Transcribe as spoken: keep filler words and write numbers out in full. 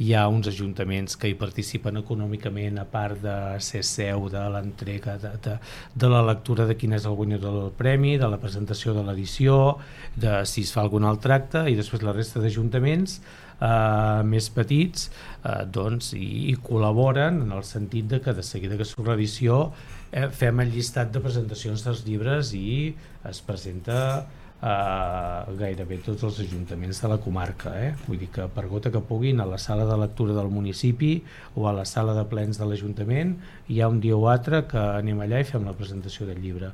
hi ha uns ajuntaments que hi participen econòmicament, a part de ser seu de l'entrega de, de, de la lectura de quin és el guanyador del premi, de la presentació de l'edició, de si es fa algun altre acte, i després la resta d'ajuntaments Uh, més petits uh, doncs, i, i col·laboren en el sentit de que de seguida que surt l'edició eh, fem el llistat de presentacions dels llibres i es presenta a gairebé tots els ajuntaments de la comarca, eh? Vull dir que per gota que puguin, a la sala de lectura del municipi o a la sala de plens de l'Ajuntament hi ha un dia o altre que anem allà i fem la presentació del llibre.